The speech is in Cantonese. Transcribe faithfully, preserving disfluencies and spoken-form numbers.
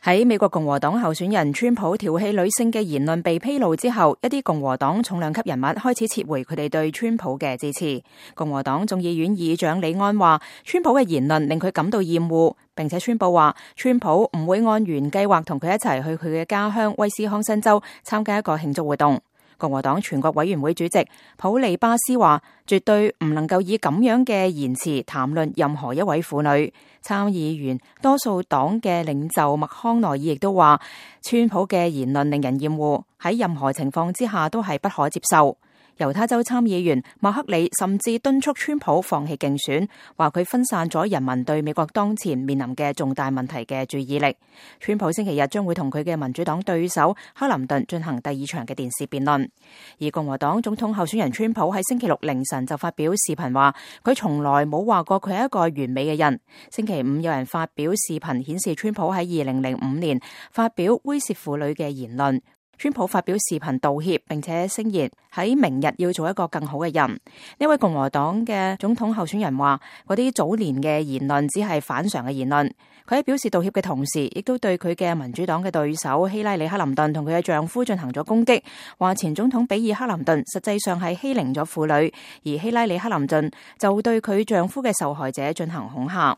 喺美國共和黨候選人川普調戲女性嘅言論被披露之後，一啲共和黨重量級人物開始撤回佢哋對川普嘅支持。共和黨眾議院議長李安話，川普嘅言論令佢感到厭惡，並且宣布話，川普唔會按原計劃同佢一齊去佢嘅家鄉威斯康辛州參加一個慶祝活動。共和黨全國委員會主席普利巴斯話，絕對唔能夠以咁樣嘅言辭談論任何一位婦女。參議員多數黨嘅領袖麥康奈爾亦都話，川普嘅言論令人厭惡，喺任何情況之下都係不可接受。猶他州參議員麥克里甚至敦促川普放棄競選，話佢分散咗人民對美國當前面臨嘅重大問題嘅注意力。川普星期日將會同佢嘅民主黨對手克林頓進行第二場嘅電視辯論。而共和黨總統候選人川普喺星期六凌晨就發表視頻話，佢從來冇話過佢係一個完美嘅人。星期五有人發表視頻顯示川普喺二零零五年發表猥褻婦女嘅言論。川普發表視頻道歉，並且聲言喺明日要做一個更好嘅人。呢位共和黨嘅總統候選人話，嗰啲早年嘅言論只係反常嘅言論。佢喺表示道歉嘅同時，亦都對佢嘅民主黨嘅對手希拉里克林頓同佢嘅丈夫進行咗攻擊，話前總統比爾克林頓實際上係欺凌咗婦女，而希拉里克林頓就對佢丈夫嘅受害者進行恐嚇。